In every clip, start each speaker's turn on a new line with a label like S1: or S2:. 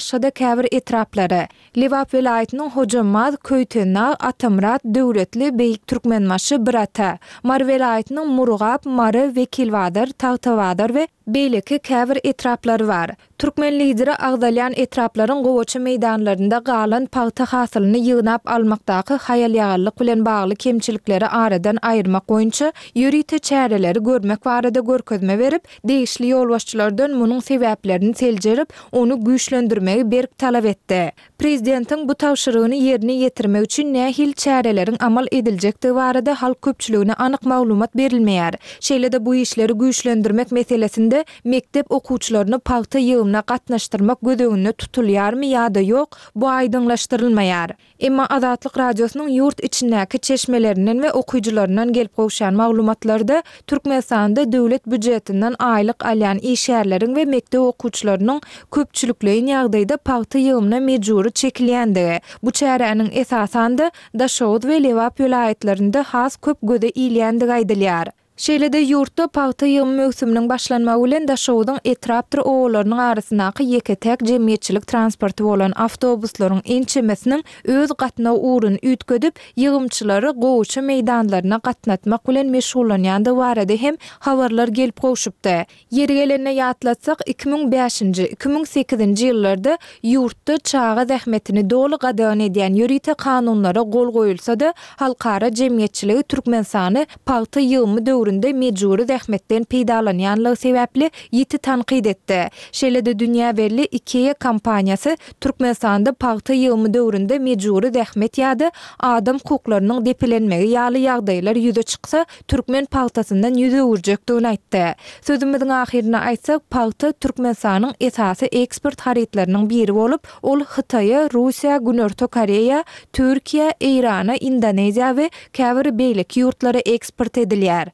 S1: Başga-da käbir etraplary, Lebap welaýatynyň Hojambaz, Köýtendag, Atamyrat, Döwletli, Beýik Türkmenbaşy, Birata, Mary welaýatynyň Murgap, Mary, Wekilbazar, Tagtabazar we beýleki käbir etraplary bar. Türkmen Lideri agzalýan etraplaryň gowaça meýdanlarynda galan pagta hasylyny ýygnap almakdaky haýal-ýagallyk bilen bagly kemçilikleri aradan aýyrmak boýunça ýörite çäreleri görmek barada görkezme berip, degişli ýolbaşçylardan munuň sebäplerini seljerip, ony güýçlendirmegi berk talap etdi. Prezidentiň bu tabşyrygyny ýerine ýetirmek üçin nähili çäreleriň amal ediljekdigi barada halk köpçüligine anyk maglumat berilmeýär. Şeýle-de bu işleri güýçlendirmek meselesinde mekdep okuwçylaryny pagta ýygymyna gatnaşdyrmak göz öňünde tutulýarmy ýa-da ýok, bu aýdyňlaşdyrylmaýar. Emma Azatlyk Radiosynyň ýurt içindäki çeşmelerinden we okyjylaryndan gelip gowşan maglumatlarda Türkmenistanda döwlet býujetinden aýlyk alýan işgärleriň we mekdep okuwçylarynyň köpçülikleýin ýagdaýda pagta ýygymyna mejbury çekilýändigi, bu çäräniň esasan-da Daşoguz we Lebap welaýatlarynda has köp göze ilýändigi aýdylýar. Şeýle-de ýurtda pagta ýygymy möwsüminiň başlanmagy bilen Daşoguzyň etrapdyr obalarynyň arasyndaky ýeke-täk jemgyýetçilik transporty bolan awtobuslaryň ençemesiniň öz gatnaw ugruny üýtgedip, ýygymçylary gowaça meýdanlaryna gatnatmak bilen meşgullanýandygy barada hem habarlar gelip gowşupdy. Ýeri gelende ýatlatsak, 2005-nji, 2008-nji ýyllarda ýurtda çaga zähmetini doly gadagan edýän ýörite kanunlara gol goýulsa-da, halkara jemgyýetçiligi Türkmenistany pagta ýygymy döwründe mejbury zähmetden peýdalanýanlygy sebäpli ýiti tankyt etdi. Şeýle-de dünýä belli IKEA kompaniýasy Türkmenistanda pagta ýygymy döwründe mejbury zähmet ýa-da adam hukuklarynyň depelenmegi ýaly ýagdaýlar ýüze çyksa, türkmen pagtasyndan ýüz öwürjekdigini aýtdy. Sözümiziň ahyrynda aýtsak, pagta Türkmenistanyň esasy eksport harytlarynyň biri bolup, ol Hytaýa, Russiýa, Günorta Koreýa, Türkiýä, Eýrana, Indoneziýa we käbir beýleki ýurtlara eksport edilýär.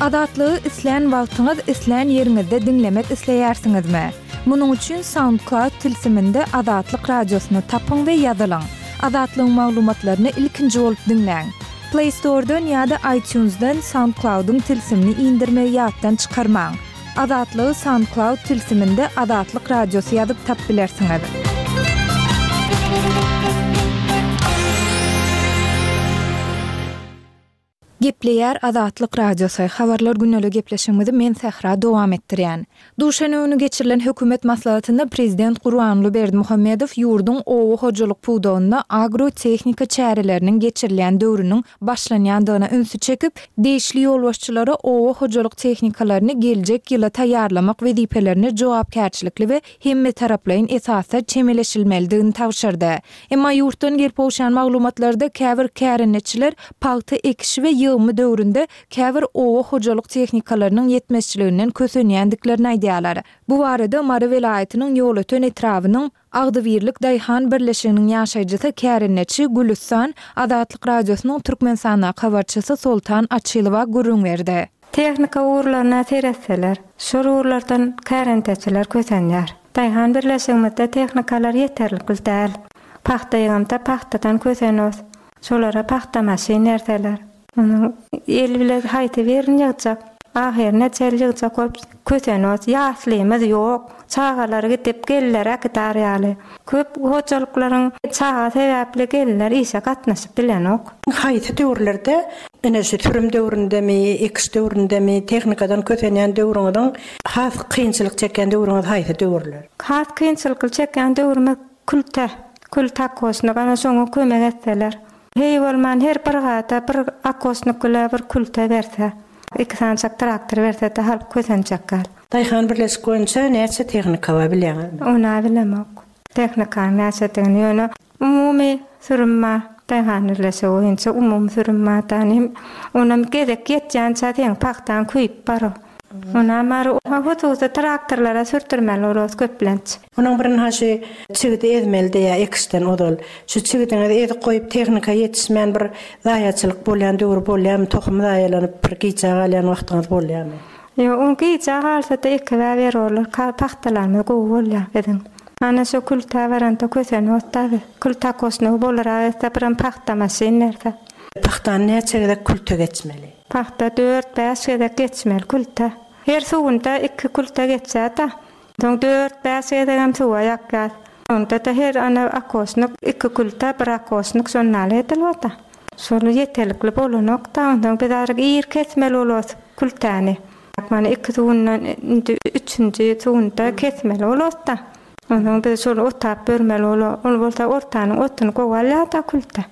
S1: Azatlygy islän wagtyňyz, islän ýeriňizde diňlemek isleýärsiňizmi? Munuň üçin SoundCloud tilsiminde Azatlyk Radiosyny tapyň we ýazylyň. Azatlygyň maglumatlaryny ilkinji bolup diňläň. Play Store-dan ýa-da iTunes-dan SoundCloud-yň tilsimini indirmegi ýatdan çykarmaň. Azatlygy SoundCloud tilsiminde Azatlyk Radiosy ýazyp tap bilersiňiz. Gepleýär Azatlyk Radiosy, Habarlar gündeli gepleşigimizi men Sähra dowam etdirýän. Duşenbe güni geçirilen hökümet maslahatynda prezident Gurbanguly Berdimuhamedow ýurduň oba hojalyk pudagynda agro-tehnika çäreleriniň geçirilýän döwrüniň başlanýandygyna ünsi çekip, degişli ýolbaşçylara oba hojalyk tehnikalaryny geljek ýyla taýýarlamak wezipelerine jogapkärçilikli we hemmetaraplaýyn esasda çemeleşilmelidigini tabşyrdy. Emma ýurtdan gelip gowşan maglumatlarda käbir kärendeçiler pagta ekişi we ýygymy döwründe käbir oba hojalyk tehnikalarynyň ýetmezçiliginden kösenýändiklerini aýdýarlar. Bu barada Mary welaýatynyň Ýolöten etrabynyň Agzybirlik daýhan birleşiginiň ýaşaýjysy kärendeçi Gülüstan Azatlyk Radiosynyň Türkmenistandaky habarçysy Soltan Açylowa gürrüň berdi.
S2: Tehnika ugurlaryna seretseler, şol ugurlardan kärendeçiler kösenýär. Daýhan birleşigimizde tehnikalar ýeterlikli däl. Pagta ýygymda pagtadan kösenos. Şolara pagta maşyn berseler. Onuň el bile haýsy birini ýygjak? Ahyryna çenli ýygjak bolup kösenos. Ýaslymyz ýok. Çagalar gidip, gelinler äkidar ýaly. Köp hojalyklaryň çaga sebäpli gelinler işe gatnaşyp bilenok.
S3: Haýsy döwürlerde, ine şu sürüm döwründemi, ekiş döwründemi, tehnikadan kösenýän döwrüňiziň has kynçylyk çekýän döwrüňiz haýsy döwürler?
S2: Has kynçylykly çekýän döwrümiz külte, külte okosnik, ana şoňa kömek etseler. Heý bolman her brigada bir okosnik bile bir külte berse, iki sanyjak traktor berse-de halk kösenjek gal.
S3: Daýhan birleşik boýunça näçe tehnika bar bilýäňizmi?
S2: Ony-a bilemok. Tehnikanyň näçedigini ýöne umumy sürüm bar. Daýhan birleşigi boýunça umumy sürüm bar da inim. Onam gezek ýetýänçä seň pagtaň köýüp barar. Onam bar hususy traktorlara sürtürmeli bolarys köplenç.
S3: Onuň birinha şu çigidi ezmeli diýýär ekişden ozal. Şu çigidiňizi ezip goýup tehnika ýetişmän bir zaýaçylyk bolýan döwri bolýarmy tohum zaýalanyp bir gijä galýan wagtyňyz bolýarmy?
S2: Ýok, ol gijä galsa-da ekibä berorlar. Pagtalarymyz gowy bolýar biziň. Ana şo kültä baranda kösenok-da biz. Kültä kosnowy bolurak etse birem pagta maşyn berse.
S3: Pagtany näçe gezek külte geçmeli?
S2: Pagta dört, bäş gezek geçmeli kültä. Her suwunda iki külte geçýär-de. Soň dört-bäş gezegem suwa ýakýas. Onda-da her ana okosnik iki külte, bir okosnik şondaly edilip-da. Şol ýeterlikli bolanok-da, onsoň biz aryk ir kesmeli bolarys kültäni. Mana iki suwundan indi üçünji suwunda kesmeli bolarys-da. Onsoň biz şol otap bermeli bolar. Ol bolsa ortanyň otuny gowy alýar-da külte.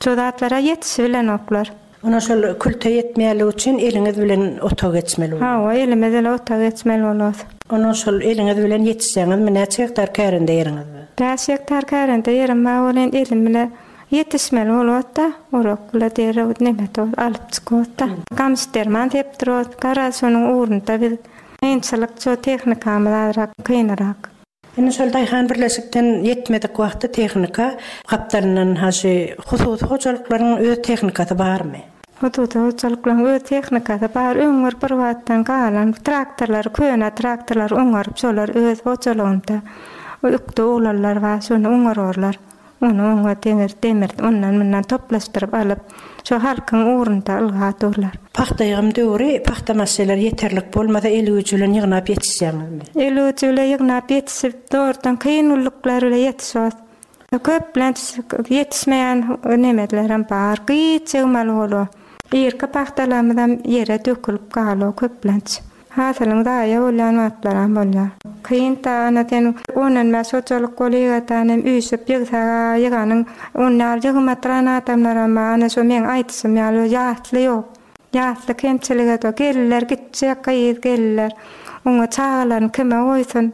S2: Şo zatlara ýetişibilenoklar.
S3: Onda şol külte ýetmeýänligi üçin eliňiz bilen otag geçmeli bolýar.
S2: Hawa, elimiz bilen otag geçmeli bolýar.
S3: Onda şol eliňiz bilen ýetişseňizmi, näçe gektar kärende ýeriňiz bar?
S2: Bäş gektar kärende ýerim bar welin, elim bile ýetişmeli bolýar-da. Orak bile derrew neme alyp çykyp-da. Gamyş derman sepdirýär. Garaz, şonuň ugrunda biz kynçylyk, şo tehnikamyz azrak kynyrak.
S3: Indi şol daýhan birleşikden ýetmedik wagty tehnika gapdalyndan ha şu hususy hojalyklaryň öz tehnikasy barmy?
S2: Hususy hojalyklaryň öz tehnikasy bar. Öňňür bir wagtdan galan traktorlary, köne traktorlary oňaryp şolar öz hojalygynda ökde oglanlar bar, şony oňararlar. Ony oňa demir, demir ondan-mundan toplaşdyryp alyp, şo halkyň ugrunda ylga durlar.
S3: Pagta ýygym döwri pagta maşşeleri ýeterlik bolmasa el güýji bilen ýygnap ýetişýäňizmi?
S2: El güýji bile ýygnap ýetişip, zordan kyn gulluklar bile ýetişos. Köplenç ýetişmeýän nemelerem bar. Gyýç ýygmaly bolýar. Irki pagtalarymyzam ýere dökülip galýar köplenç. Hasylyň zaýa bolýan wagtlaram bolýar. Kyn da ana sen ondan bäş hojalyk bolygadan hem üýşüp ýygsaga ýyganyň on ýaly ýygmatran adamlaram bar ana şo meň aýdyşym ýaly ýasly ýok. Ýasly kemçilik edok. Gelinler gitjek gyz gelinler. Oňa çagalaryny kime goýsun.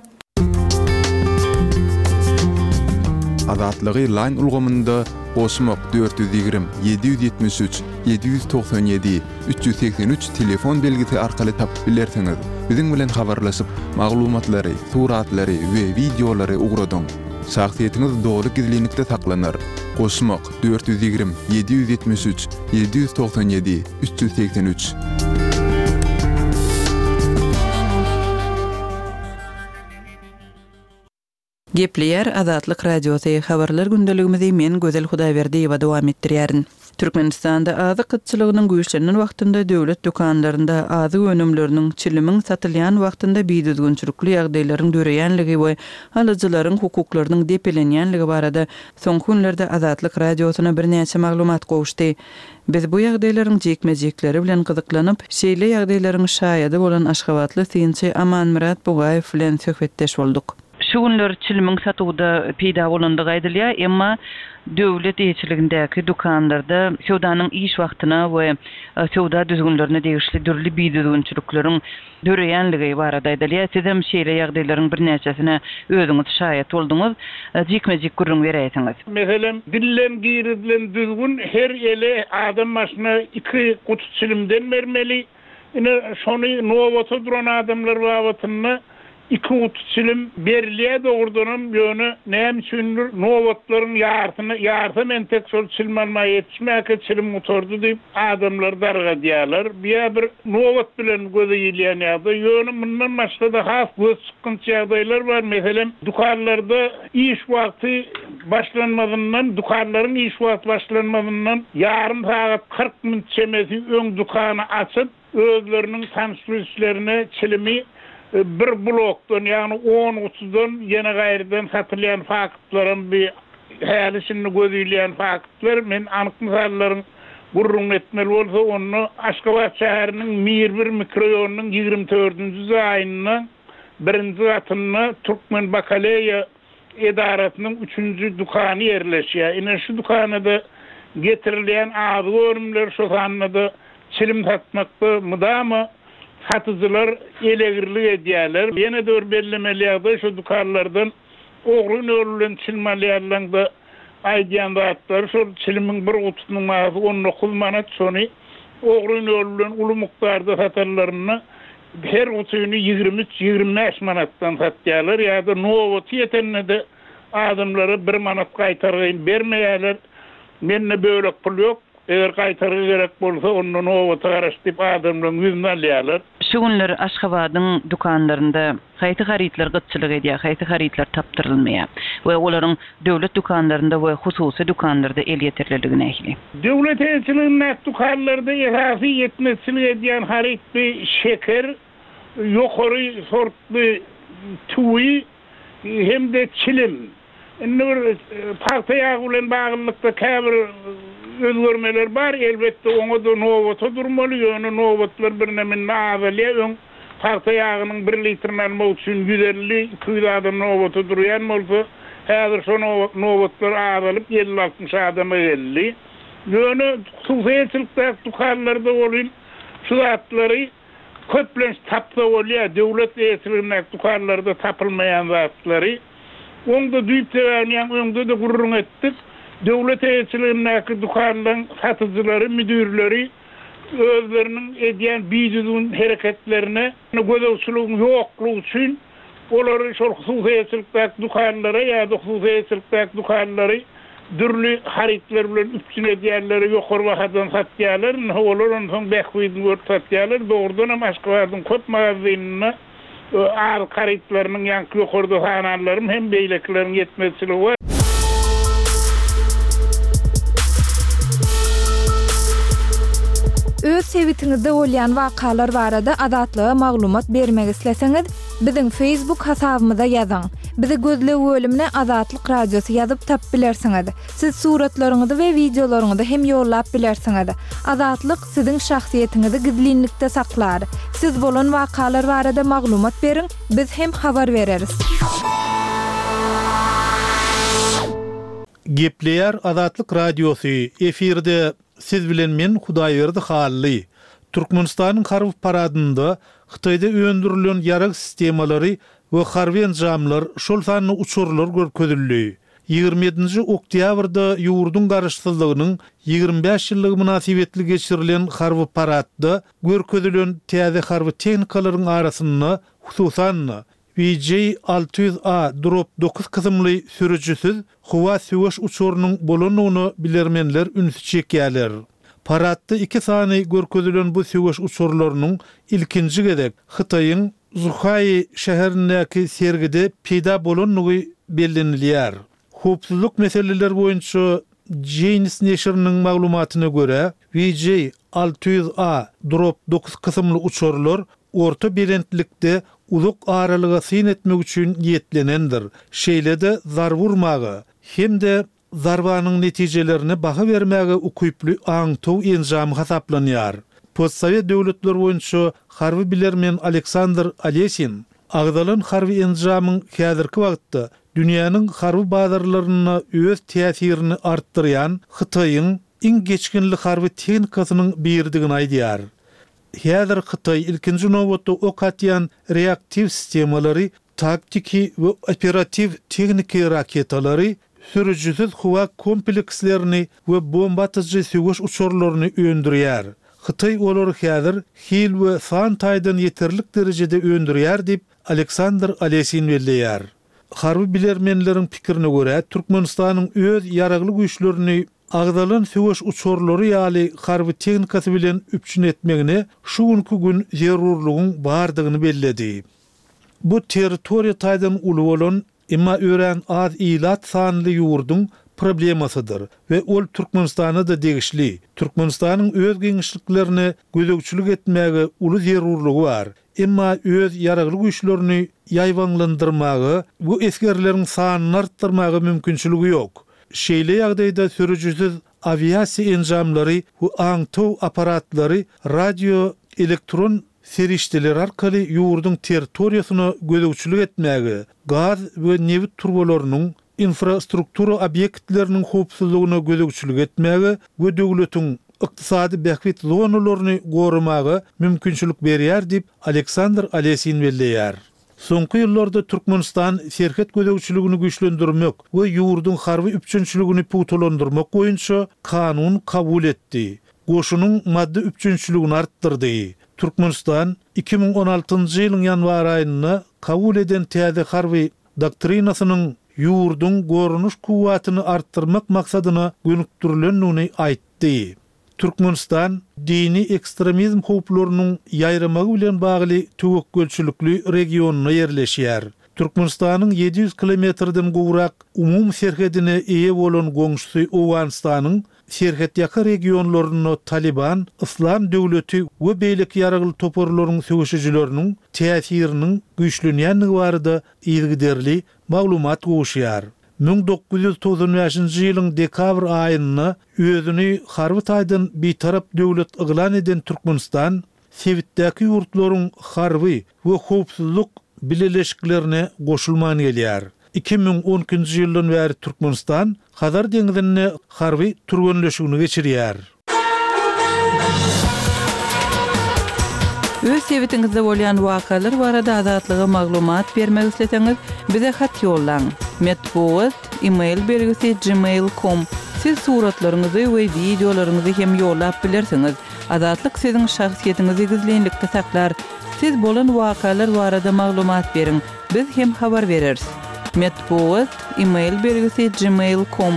S4: Azatlygy Line ulgamynda goşmak 420 773 797 383 telefon belgisi arkaly tapyp bilersiňiz. Biziň bilen habarlaşyp, maglumatlary, suratlary we wideolary ugradyň. Şahsyýetiňiz doly gizlinlikde saklanar. Goşmak, 420 773 797 383.
S5: Gepleýär Azatlyk Radiosy, Habarlar gündeligimizi men Gözel Hudaýberdiýewa dowam etdirýärin. Türkmenistanda azyk gytçylygynyň güýçlenen wagtynda döwlet dükanlarynda azyk önümleriniň, çilimiň satylýan wagtynda bidüzgünçilikli ýagdaýlaryň döreýänligi we alyjylaryň hukuklarynyň depelenýänligi barada soňky günlerde Azatlyk Radiosyna birnäçe maglumat gowuşdy. Biz bu ýagdaýlaryň jikme-jikleri bilen gyzyklanyp, şeýle ýagdaýlaryň şaýady bolan aşgabatly synçy Amanmyrat Bugaýew bilen söhbetdeş bolduk. Şu günler çilimiň satuwda peýda bolandygy aýdylýar, emma döwlet eýeçiligindäki dükanlarda söwdanyň iş wagtyna we söwda düzgünlerine degişli dürli bidüzgünçilikleriň döreýänligi barada aýdylýar. Sizem şeýle ýagdaýlaryň birnäçesine özüňiz şaýat bolduňyz. Jikme-jik gürrüň beräýseňiz.
S6: Meselem, dilden girizilen düzgün her ele adam başyna iki guty çilimden bermeli. Ine, şony nobata duran adamlar babatynda iki guty çilim berilýär dogrudanam, ýöne näme üçindir nobatlaryň ýarsyna, ýarsam entek şol çilim almaga ýetişmäkä çilim gutardy diýip adamlary dargadýarlar. Bu-ýa bir nobat bilen göze ilýän ýagdaý. Ýöne mundan başga-da has gözçykgynç ýagdaýlar bar. Meselem, dükanlarda iş wagty başlanmazyndan, dükanlaryň iş wagty başlanmazyndan ýarym sagat 40 minut çemesi öň dükany açyp, özleriniň tanyş-bilişlerine çilimi bir blokdan, ýagny on gutudan ýene gaýrydan satylýan faktlaram bi häli-şindi göz ilýän faktlar. Men anyk mysallaryň gürrüňini etmeli bolsa, onda Aşgabat şäheriniň Mir bir mikroýonynyň 24-nji jaýynda birinji gatynda Türkmen bakaleýa edarasynyň üçünji dükany ýerleşýär. Ine, şu dükana-da getirilýän azyk önümleri, şo sanda-da çilim satmakda mydama satyjylar elegirlik edýärler. Ýene-de bir bellemeli ýagdaý, şo dükanlardan ogryn ýol bilen çilim alýanlaryň-da aýdýan zatlary şol, çilimiň bir gutusynyň bahasy 19 manat, şony ogryn ýol bilen uly mukdarda satanlarynda Her gutyny 23, 25 manatdan satýarlar ýa-da nobaty ýetende-de adamlara bir manat gaýtargyny bermeýärler. Mende bölek pul ýok, eger gaýtargy gerek bolsa, onda nobata garaş diýip adamlaryň ýüzüni alýarlar.
S5: Şu günler Aşgabadyň dükanlarynda haýsy harytlar gytçylyk edýär, haýsy harytlar tapdyrylmaýar we olaryň döwlet dükanlarynda we hususy dükanlarda elýeterliligi nähili?
S6: Döwlet eýeçiligindäki dükanlarda esasy ýetmezçilik edýän haryt bu şeker. ýokary sortly tüwi hem-de çilim. Indi bir pagta ýagy bilen baglylykda käbir özgermeler bar. Elbetde, oňa-da nobata durmaly, ýöne nobatlar birneme indi azalýar. Öň pagta ýagynyň bir litrini almak üçin 150, 200 adam nobata durýan bolsa, häzir şo nobatlar azalyp, elli-altmyş adama geldi. Ýöne hususy eýeçilikdäki dükanlarda welin şu zatlary Köplenç tapsa bolýar, döwlet eýeçiligindäki dükanlarda tapylmaýan zatlary. Oň-da düýp sebäbini ýaňy öňde-de gürrüň etdik. Döwlet eýeçiligindäki dükanlaryň satyjylary, müdirleri özleriniň edýän bidüzgün hereketlerine gözegçiligiň ýoklugy üçin Olary şol hususy eýeçilikdäki dükanlara ýa-da hususy eýeçilikdäki dükanlary dürli harytlar bilen üpjün edýänlere ýokary bahadan satýarlar. Indi olar onsoň bähbidini görüp satýarlar. Dogrudan hem Aşgabadyň köp magazynynda azyk harytlarynyň ýaňky ýokarda sananlarym hem beýlekileriň ýetmezçiligi bar.
S1: Öz sebitiňizde bolýan wakalar barada Azatlyga maglumat bermek isleseňiz, biziň Facebook hasabymyza ýazyň. Bizi gözleg bölümine Azatlyk Radiosy ýazyp tapyp bilersiňiz. Siz suratlaryňyzy we wideolaryňyzy hem ýollap bilersiňiz. Azatlyk siziň şahsyýetiňizi gizlinlikde saklar. Siz bolan wakalar barada maglumat beriň, biz hem habar bereris.
S7: Gepleýär Azatlyk Radiosy, efirde siz bilen men Hudaýberdi Hally. Türkmenistanyň harby paradynda Hytaýda öndürilen ýarag sistemalary we harby enjamlar, şol sanda uçarlar görkezildi. 27-nji oktýabrda ýurduň Garaşsyzlygynyň 25 ýyllygy mynasybetli geçirilen harby paradda görkezilen täze harby tehnikalaryň arasynda, hususan-da, VJ 600 A Drop dokuz kysymly sürüjisiz howa söweş uçarynyň bolandygyna bilermenler ünsi çekýärler. Paradda iki sany görkezilen bu söweş uçarlarynyň ilkinji gezek Hytaýyň Zhuhai şäherindäki sergide peýda bolandygy bellenilýär. Howpsuzlyk meseleleri boýunça Jane's neşiriniň maglumatyna görä, VJ 600 A Drop dokuz kysymly uçarlar orta belentlikde uzak aralyga syn etmek üçin niýetlenendir, şeýle-de zarba urmaga hem-de zarbanyň netijelerine baha bermäge ukyply aňtaw enjamy hasaplanýar. Postsowet döwletleri boýunça harby bilermen Aleksandr Alesin agzalan harby enjamyň häzirki wagtda dünýäniň harby bazarlarynda öz täsirini artdyrýan Hytaýyň iň geçginli harby tehnikasynyň biridigini aýdýar. Häzir Hytaý ilkinji nobatda ok atýan reaktiw sistemalary, taktiki we operatiw tehniki raketalary, sürüjisiz howa komplekslerini we bomba atyjy söweş uçarlaryny öndürýär. Hytaý olary häzir hil we san taýdan ýeterlik derejede öndürýär diýip, Aleksandr Alesin belleýär. Harby bilermenleriň pikirine görä, Türkmenistanyň öz Ýaragly Güýçlerini agzalan söweş uçarlary ýaly harby tehnikasy bilen üpjün etmegine şu günki gün zerurlygyň bardygyny belledi. Bu territoriýa taýdan uly bolan, emma örän az ilat sanly ýurduň problemasydyr we ol Türkmenistana-da degişli. Türkmenistanyň öz giňişliklerine gözegçilik etmäge uly zerurlygy bar, emma öz ýaragly güýçlerini ýaýbaňlandyrmaga we esgerleriň sanyny artdyrmaga mümkinçiligi ýok. Şeýle ýagdaýda sürüjisiz awiasiýa enjamlary we aňtaw apparatlary radio elektron serişdeleri arkaly ýurduň territoriýasyna gözegçilik etmäge, gaz we nebit turbalarynyň, infrastruktura obýektleriniň howpsuzlygyna gözegçilik etmäge we döwletiň ykdysady bähbit zonalaryny goramaga mümkinçilik berýär diýip, Aleksandr Alesin belleýär. Soňky ýyllarda Türkmenistan serhet gözegçiligini güýçlendirmek we ýurduň harby üpjünçiligini pugtalandyrmak boýunça kanun kabul etdi, goşunyň maddy üpjünçiligini artdyrdy. Türkmenistan 2016-njy ýylyň ýanwar aýynda kabul eden täze harby doktrinasynyň ýurduň goranyş kuwwatyny artdyrmak maksadyna gönükdirilendigini aýtdy. Türkmenistan dini ekstremizm howplarynyň ýaýramagy bilen bagly töwekgelçilikli regionynda ýerleşýär. Türkmenistanyň 700 kilometrden gowrak umumy serhedine eýe bolan goňşusy Owganystanyň serhetýaka regionlarynda Talyban, Yslam döwleti we beýleki ýaragly toparlaryň söweşijileriniň täsiriniň güýçlenýändigi barada yzygiderli maglumat gowuşýar. 1995-nji ýylyň dekabr aýynda özüni harby taýdan bitarap döwlet yglan eden Türkmenistan sebitdäki ýurtlaryň harby we howpsuzlyk bileleşiklerine goşulman gelýär. 2012-nji ýyldan bäri Türkmenistan Hazar deňzinde harby türgenleşigini geçirýär.
S5: Öz sebitiňizde bolýan wakalar barada Azatlyga maglumat bermek isleseňiz, bize hat ýollaň. Metbugat, e-mail belgisi gmail com. Siz suratlaryňyzy we wideolaryňyzy hem ýollap bilersiňiz. Azatlyk siziň şahsyýetiňizi gizlinlikde saklar. Siz bolan wakalar barada maglumat beriň, biz hem habar bereris. Metbugat, e-mail belgisi gmail com.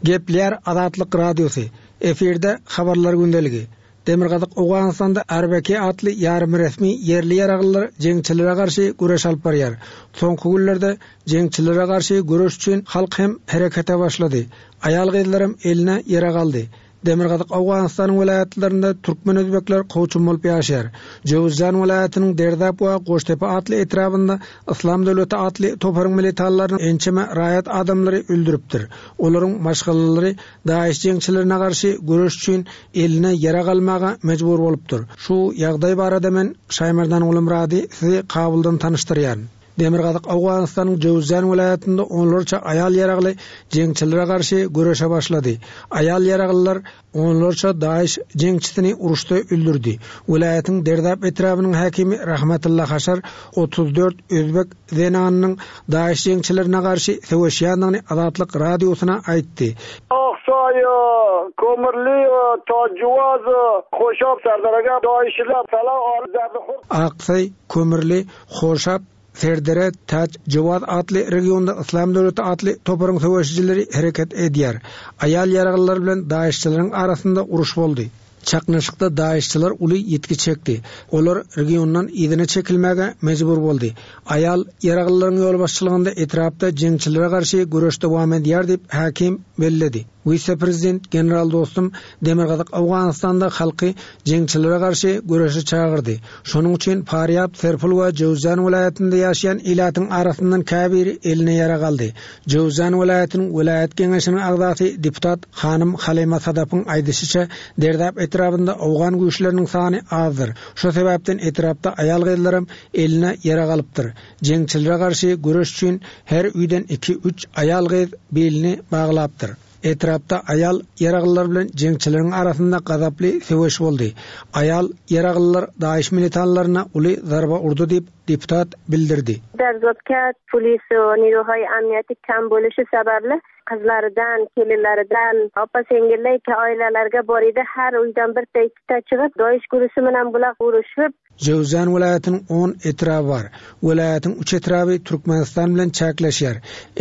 S8: Gepleýär Azatlyk Radiosy, Efirde Habarlar gündeligi. Demirgazyk Owganystanda RBK atly ýarym-resmi ýerli ýaraglylar jeňçilere garşy göreş alyp barýar. Soňky günlerde jeňçilere garşy göreş üçin halk hem herekete başlady. Aýal-gyzlaram eline ýarag aldy. Demirgazyk Owganystanyň welaýatlarynda türkmen-özbekler kowçum bolup ýaşaýar. Jöwüzjan welaýatynyň Derdap we Goştepe atly etrabynda Yslam döwleti atly toparyň militanlarynyň ençeme raýat adamlary öldüripdir. Olaryň maşgalalary DAIŞ jeňçilerine garşy göreş üçin eline ýarag almaga mejbur bolupdyr. Şu ýagdaý barada men Şaýmerdan Gulumyrady sizi Kabuldan tanyşdyrýaryn. Demirgazyk Owganystanyň Jöwüzjan welaýatynda onlarça aýal ýaragly jeňçilere garşy göreşe başlady. Aýal ýaraglylar onlarça DAIŞ jeňçisini uruşda öldürdi. Welaýatyň Derdap etrabynyň häkimi Rahmatylla Haşar 34 özbek zenanynyň DAIŞ jeňçilerine garşy söweşýändigini Azatlyk Radiosyna aýtdy.
S9: Aksaý, Kömürli, Täçjowaz, Hoşap, Serderege DAIŞ-ler salah alyp zerdi hur.
S8: Aksaý, Kömürli, Hoşap, Serdere, Täçjowaz atly regionda Yslam döwleti atly toparyň söweşijileri hereket edýär. Aýal ýaraglylar bilen DAIŞ-çileriň arasynda uruş boldy. Çaknyşykda DAIŞ-çiler uly ýitgi çekdi. Olar regiondan yzyna çekilmäge mejbur boldy. Aýal ýaraglylaryň ýolbaşçylygynda etrapda jeňçilere garşy göreş dowam edýär diýip, häkim belledi. Wise-prezident general Dostum Demirgazyk Owganystanda halky jeňçilere garşy göreşe çagyrdy. Şonuň üçin Farýab, Serpul we Jöwzjan welaýatynda ýaşaýan ilatyň arasyndan käbiri eline ýarag aldy. Jöwzjan welaýatynyň welaýat geňeşiniň agzasy deputat hanym Halyma Sadapyň aýdyşyça, Derdap etrabynda owgan güýçleriniň sany azdyr. Şo sebäpden etrapda aýal-gyzlaram eline ýarag alypdyr. Jeňçilere garşy göreş üçin her öýden iki-üç aýal-gyz bilini baglapdyr. Etrapda aýal ýaraglylar bilen jeňçileriň arasynda gazaply söweş boldy. Aýal ýaraglylar DAIŞ militanlaryna uly zarba urdy diýip, deputat bildirdi.
S10: Derzapka polis we niruhaý amniýeti kam boluşy sebäpli gyzlardan, kelinlerden, opa-siňňiller oilalarga bor edi. Her uýdan birta ikkita çygyp, DAIŞ gurusy bilen bular uruşyp,
S8: Jöwüzjan welaýatynyň on etraby bar. Welaýatyň üç etraby Türkmenistan bilen çäkleşýär.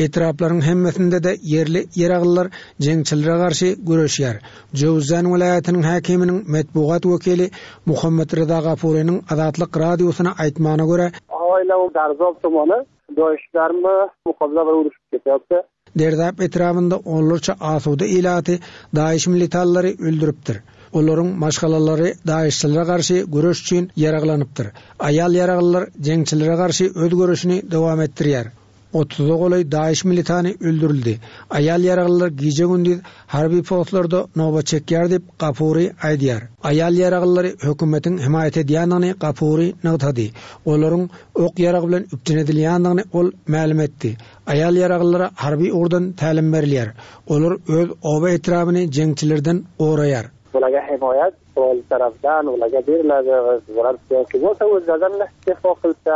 S8: Etraplaryň hemmesinde-de ýerli ýaraglylar jeňçilere garşy göreşýär. Jöwüzjan welaýatynyň häkiminiň metbugat wekili Muhammet Ryza Gafurynyň Azatlyk Radiosyna aýtmagyna görä,
S9: Oýlaw Darzob tumany doýuşlarmy mukabla bir uruşyp ketýapdy.
S8: Derdap etrabynda onlarça asuda ilaty DAIŞ militanlary öldüripdir. Olaryň maşgalalary DAIŞ-çilere garşy göreş üçin ýaraglanypdyr. Aýal ýaraglylar jeňçilere garşy öz göreşini dowam etdirýär. Otuza golaý DAIŞ militany öldürildi. Aýal ýaraglylar gije-gündiz harby postlarda nobat çekýär diýip, Gafuri aýdýar. Aýal ýaraglylary hökümetiň hemaýat edýändigini Gafuri nygtady. Olaryň ok-ýarag bilen üpjün edilýändigini ol mälim etdi. Aýal ýaraglylara harby ugurdan tälim berilýär. Olar öz oba-etrabyny jeňçilerden goraýar.
S9: Bulaga hemaýat ol tarapdan bulaga beriladi bular belki bolsa özlerden defo kylsa,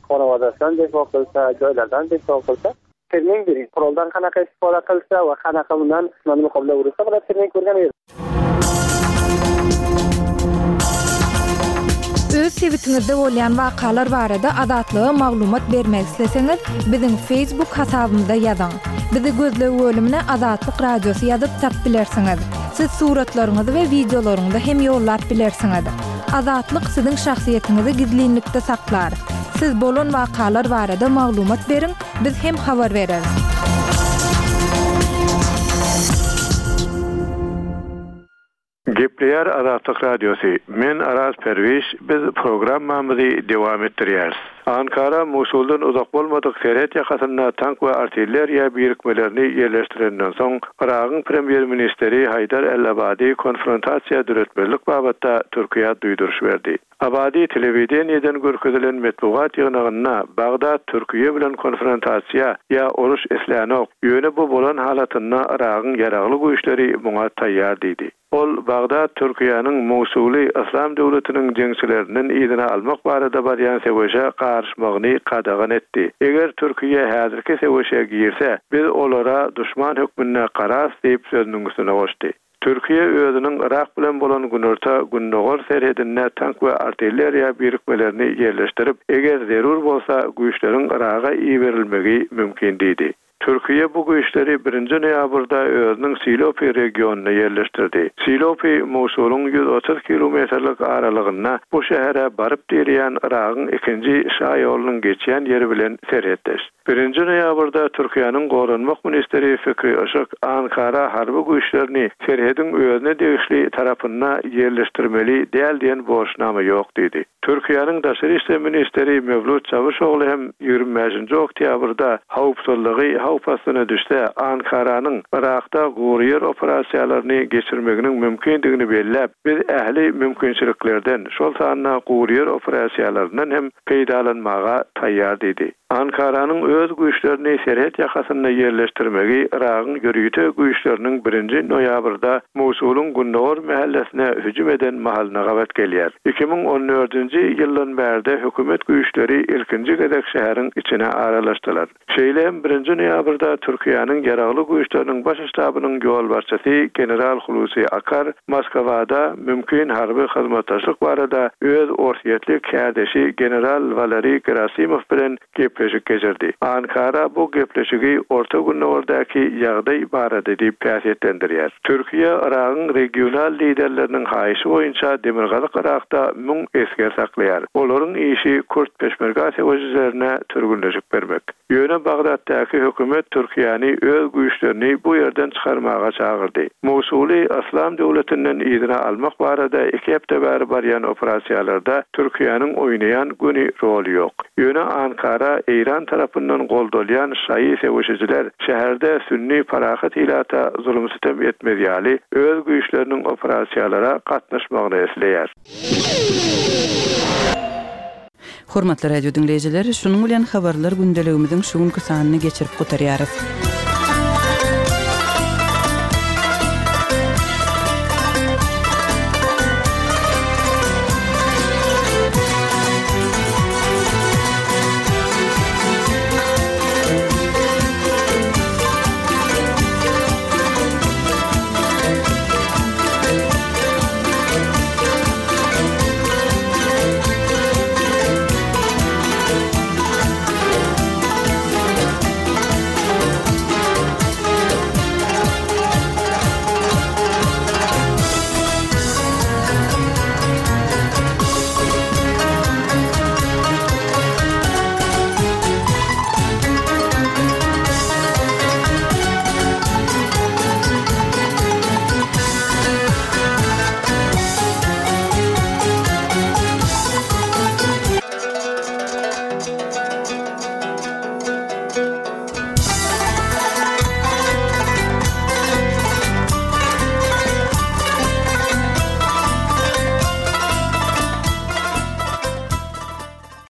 S9: honawadaşdan defo kylsa, joýlardan defo kylsa. Terming bering, quroldan qanaqa istifoda qilsa va qanaqa undan dushmanni muqobilda ursa bular terming ko'rgan edi.
S1: Öz sebitiňizde bolýan wakalar barada Azatlyga maglumat bermek isleseňiz, biziň Facebook hasabymyza ýazyň. Bizi gözleg bölümine Azatlyk Radiosy ýazyp tap bilersiňiz. Siz suratlaryňyzy we wideolaryňyzy hem ýollap bilersiňiz. Azatlyk siziň şahsyýetiňizi gizlinlikde saklar. Siz bolan wakalar barada maglumat beriň, biz hem habar bereris.
S11: Gepleýär Azatlyk Radiosy, Men Araz Perwiş, biz programmamyzy dowam etdirýäris. Ankara Musuldan uzak bolmadyk serhet ýakasynda tank we artilleriýa birikmelerini ýerleşdirenden soň, Yragyň premýer-ministeri Haýdar el-Abadi konfrontasiýa döretmezlik babatda Türkiýä duýduryş berdi. Abadi telewideniýeden görkezilen metbugat ýygnagynda Bagdat Türkiýe bilen konfrontasiýa ýa uruş islänok, ýöne bu bolan halatynda Yragyň ýaragly güýçleri muňa taýýar diýdi. Ol Bagdat Türkiýäniň Musuly Yslam döwletiniň jeňçilerinden yzyna almak barada barýan söweşe garyşmagyny gadagan etdi. Eger Türkiýe häzirki söweşe girse, biz olara duşman hökmünde gararys diýip sözüniň üstüne goşdy. Türkiýe özüniň Yrak bilen bolan günorta-gündogar serhedinde tank we artilleriýa birikmelerini ýerleşdirip, eger zerur bolsa, güýçleriň Yraga iberilmegi mümkin diýdi. Türkiýe bu güýçleri birinji noýabrda özüniň Silopi regionynda ýerleşdirdi. Silopi Musulyň 130 kilometrlik aralygynda bu şähere baryp direýän Yragyň ikinji şaýolunyň geçýän ýeri bilen serhetdeş. Birinji noýabrda Türkiýäniň Goranmak ministri Fikri Yşyk Ankara harby güýçlerini serhediň özüne degişli tarapynda ýerleşdirmeli däl diýen borçnama ýok diýdi. Türkiýäniň Daşary işler ministri Mewlut Çawuşogly hem 25-nji oktýabrda howpsuzlygy howp astyna düşse Ankaranyň Yrakda gury ýer operasiýalaryny geçirmeginiň mümkindigini belläp, Biz ähli mümkinçiliklerden, şol sanda gury ýer operasiýalaryndan hem peýdalanmaga taýýar diýdi. Ankaranyň öz güýçlerini serhet ýakasynda ýerleşdirmegi Yragyň ýörite güýçleriniň birinji noýabrda Musulyň gündogar mähellesine hüjüm eden mahalyna gabat gelýär. 2014-nji ýyldan bärde hökümet güýçleri ilkinji gezek şäheriň içine aralaşdylar. Şeýle hem birinji noýabrda Türkiýäniň Ýaragly Güýçleriniň Baş ştabynyň ýolbaşçysy general Hulusi Akar Moskwada mümkin harby hyzmatdaşlyk barada öz orsýetli kärdeşi general Waleriý Gerasimow bilen gepleşik geçirdi. Ankara bu gepleşigi Orta Gündogardaky ýagdaý barada diýip häsiýetlendirýär. Türkiýe Yragyň regional liderleriniň haýyşy boýunça Demirgazyk Yrakda müň esger saklaýar. Olaryň işi kürt peşmerga söweşijilerine türgünleşik bermek. Ýöne Bagdatdaky hökümet Türkiýäni öz güýçlerini bu ýerden çykarmaga çagyrdy. Musuly Yslam döwletinden yzyna almak barada iki hepde bäri barýan operasiýalarda Türkiýäniň oýnaýan göni roly ýok. Ýöne Ankara Eýran tarapyndan goldalýan şaýy söweşijiler şäherde sünni parahat ilata zulum-sütem etmez ýaly öz güýçleriniň operasiýalara gatnaşmagyny isleýär.
S5: Hormatly radio diňleýjiler, şunuň bilen Habarlar gündeligimiziň şu günki sanyny geçirip gutarýarys.